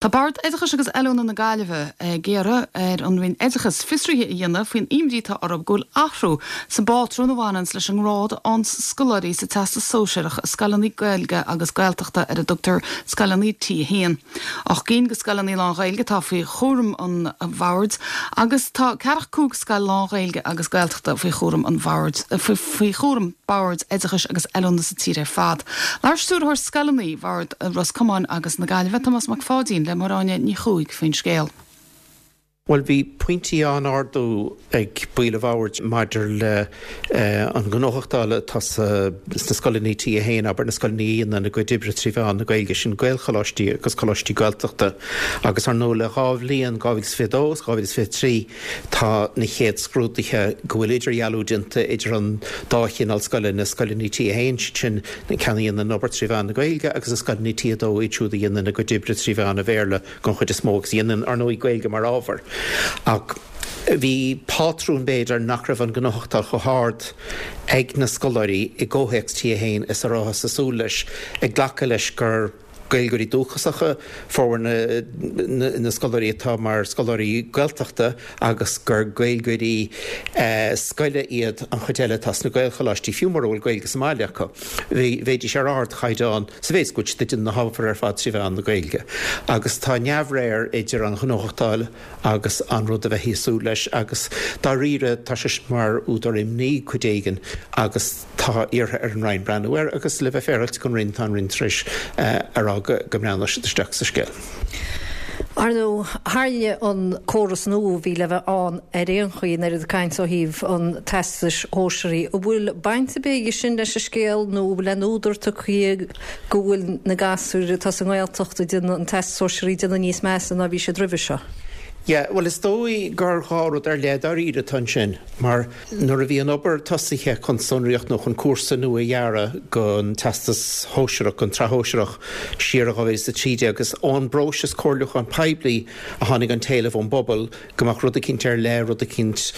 Tá Bord Oideachais agus Oiliúna na Gaillimhe ag iarraidh ar an Roinn Oideachais fiosruithe a dhéanamh faoin imní atá orthu go bhfuil athrú sa bpátrún a bhaineanns leis an ngrád a fhaigheanns scoláirí sa Teastas Sóisearach i scoileanna Gaeilge agus Gaeltachta ar a dtugtar scoileanna T1. 8 gcinn de scoileanna lán-Ghaeilge atá faoi chúram an Bhoird agus tá ceathracha 5 scoil lán-Ghaeilge agus Gaeltachta faoi chúram an Bhoird faoi chúram Boird Oideachais agus Oiliúna sa tír ar fad. Labhair Stiúrthóir Scoileanna Bhord Ros Comáin agus na Gaillimhe, Tomás Mac Pháidín, le Máire Áine Ní Chuaig faoin scéal. Bhuel, bhí pointí á n-ardú ag baill an bhoird maidir le an ghnóthachtáil atá sna scoileanna T1, abair, na scoileanna a dhéanann a gcuid oibre trí mheán na Gaeilge, sin Gaelcholáistí agus Coláistí Gaeltachta. Agus ar ndóigh le dhá bhliain, 2022 agus 2023, Tá na chéad scrúduithe go bhfuil idirdhealú déanta idir an dá chineál scoile, na scoileanna T1, siad sin na ceanna a dhéanann an obair trí mheán na Gaeilge, agus na scoileanna T2, iad siúd a dhéanann a gcuid oibre trí mheán an Bhéarla den chuid is mó agus a dhéanann, ar ndóigh, Gaeilge mar ábhar. Ach bhí pátrún, b'fhéidir, nach raibh an ghnóthachtáil chomh hard ag na scoláirí i gcomhthéacs T1 is a rabhthas ag súil leis, ag glacadh leis gur. Gaeilgeoirí dúchasacha formhór na scoláirí atá mar scoláirí Gaeltachta agus gur Gaeilgeoirí scoile iad an chuid eile atá sna Gaelcholáistí, fiú mura bhfuil Gaeilge sa mbaile acu. Bheidís ar ardchaighdeán sa mhéid is go bhfuil siad ag déanamh na hábhair ar fad trí mheán na Gaeilge. Agus tá neamhréir idir an ghnóthachtáil agus an rud a bheifí ag súil leis agus dáiríre tá sé sin mar údar imní cuid éigin agus tá iarrtha ar an Roinn breathnú air agus le bheith féaráilte don Roinn tá an Roinn tar éis a rá go mbreathnóidh siad isteach sa scéal. Ar ndóigh, tharla an córas nua a bhí le bheith ann ar aon chaoi, an oiread cainte ó thaobh an Teastais Shóisearaigh. An bhfuil baint ar bith aige sin leis an scéal nó an bhfuil aon údar tugtha go bhfuil na gasúir atá sa nGaeltacht ag déanamh an Teastas Sóisearaigh ag déanamh níos measa ná bhí siad roimhe seo. Yeah, bhuel is dóigh gur dhá rud ar leith dáiríre atá ansin, mar nuair a bhí an obair tosaithe chun sonraíocht nó chun cúrsa nua a dhearadh don Teastas Shóisearach, don tSraith Shóisearach siar i 2013, is ón bpróiseas comhairliúcháin poiblí a tháinig an t-éileamh ón bpobal go mbeadh rud eicínt ar leith, rud eicínt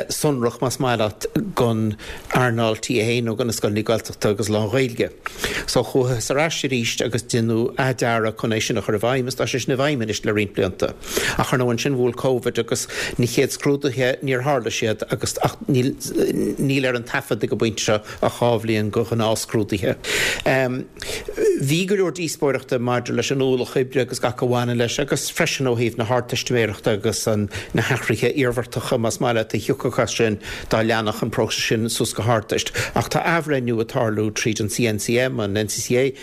sonrach, más maith leat, don earnáil T1 nó do na scoileanna Gaeltachta agus lán-Ghaeilge. So chuathas ar ais arís agus deineadh athdhearadh chun é sin a chur i bhfeidhm agus tá sé sin i bhfeidhm anois le roinnt blianta. Ach ar ndóigh ansin bhuail Covid agus na chéad scrúduithe níor tharla siad agus ach níl níl ar an taifead ag an bpointe seo ach dhá bhliain de ghnáthscrúduithe. Bhí go leor díospóireachta maidir leis an ualach oibre agus gach a bhaineann leis agus freisin ó thaobh na hArdteistiméireachta agus an na hathruithe iarmhartacha, más maith leat, a thiocfadh as sin dá leanfadh an próiseas sin suas go hArdteist. Ach tá athbhreithniú ag tarlú tríd an CNCM, an NCCA,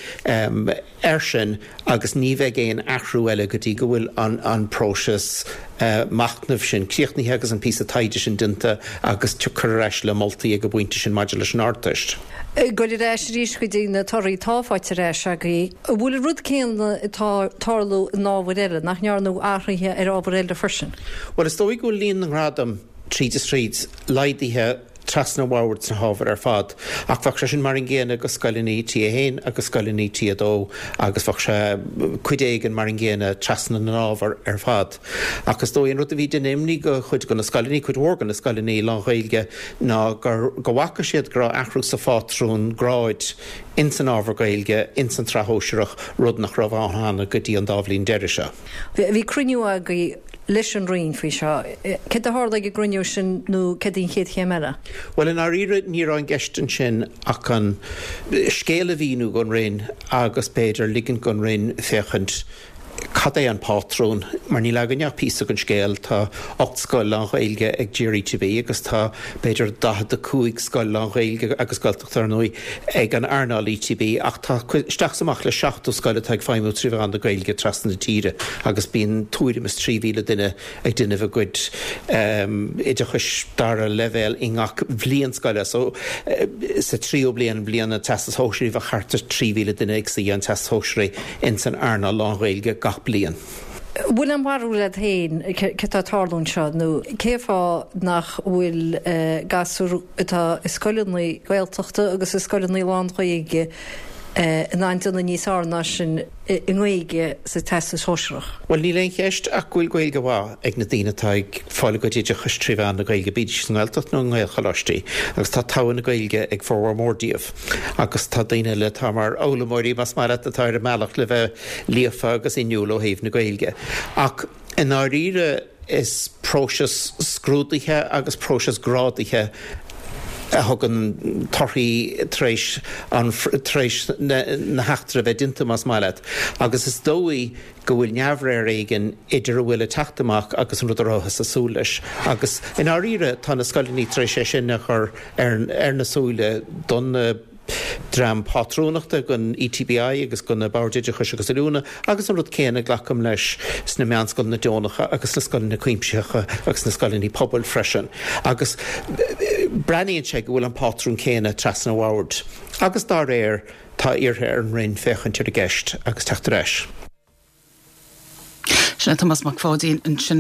air sin agus ní bheidh aon athrú eile go dtí go bhfuil an próiseas machnaimh sin críochnaithe agus an píosa taighde sin déanta agus tiocfar ar ais le moltaí ag an bpointe sin maidir leis an Ardteist. Ag goil ar ais arís go dtí na torthaí atá faighte ar ais agaibh, an bhfuil an rud céanna ag tarlú in ábhair eile, nach ndearnadh athruithe ar ábhair eile freisin? Bhuel, is dóigh go bhfuil líon na ngradam tríd is tríd laghdaithe trasna an bhoird sna hábhair ar fad, ach bheadh sé sin mar an gcéanna do scoileanna T1 agus scoileanna T2 agus bheadh sé cuid éigin mar an gcéanna trasna na n-ábhar ar fad. Ach is dóigh an rud a bhí ag déanamh imní do chuid de na scoileanna, cuid mhór de na scoileanna lán-Ghaeilge, ná gur, go bhfaca siad go raibh athrú sa phátrún gráid ins an ábhar Gaeilge ins an tsraith shóisearach, rud nach raibh ann cheana go dtí an dá bhliain deiridh seo. Bhí cruinniú agaibh leis an Roinn faoi seo. Céard a tharla ag an gcruinniú sin nó céard í an chéad chéim eile? Bhuel, i ndáiríre, ní raibh i gceist ansin ach an scéal a mhíniú don Roinn agus b'fhéidir ligint don Roinn féachaint cad é an pátrún, mar níl againne ach píosa den scéal. Tá 8 scoil lán-Ghaeilge ag GRETB agus tá b'fhéidir 45 scoil lán-Ghaeilge agus Gaeltachta, ar ndóigh, ag an earnáil ETB ach tá isteach is amach le 70 scoil atá ag feidhmiú trí mheán na Gaeilge trasna na tíre agus bíonn tuairim is 3,000 duine ag déanamh a gcuid oideachais dara leibhéal i ngach bhliain scoile. So sa tríú bliain, bliain an Teastais Shóisearaigh, bheadh thart ar 3,000 duine ag suí an Teastas Shóisearaigh ins an earnáil lán-Ghaeilge gach bliain. Bhfuil aon bharúil agat féin céard atá ag tarlú anseo nó cén fáth nach bhfuil gasúir atá i scoileanna Gaeltachta agus i scoileanna lán-Ghaeilge? In ann déanamh níos fearr ná sin i nGaeilge sa Teastas Shóisearach? Bhuel, níl aon cheist ach go bhfuil Gaeilge mhaith ag na daoine atá ag fáil a gcuid oideachais trí mheán na Gaeilge, bídís sa nGaeltacht nó i nGaelcholáistí, agus tá togha na Gaeilge ag formhór mór díobh. Agus tá daoine eile atá mar fhoghlaimeoirí, más maith leat, atá ar a mbealach le bheith líofa agus inniúil ó thaobh na Gaeilge. Ach i ndáiríre, Is próiseas scrúdaithe agus próiseas grádaithe a thugann torthaí tar éis an tar éis na heachtra a bheith déanta, más maith leat, agus is dóigh go bhfuil neamhréir éigin idir a bhfuil ag teacht amach agus an rud a rabhthas ag súil leis. Agus i ndáiríre tá na scoileanna tar éis é sin a chur ar ar na súile don dream pátrúnachta don ETBI agus do na Boird Oideachais agus Oiliúna agus an rud céanna, glacaim leis, sna meánscoileanna deonacha agus sna scoileanna cuimsitheacha agus sna scoileanna pobail freisin. Agus breathnaíonn sé go bhfuil an pátrún céanna trasna an bhoird agus dá réir tá iarrtha ar an Roinn féachaint ar an gceist agus teacht ar ais. Sin é Tomás Mac Pháidín ansin.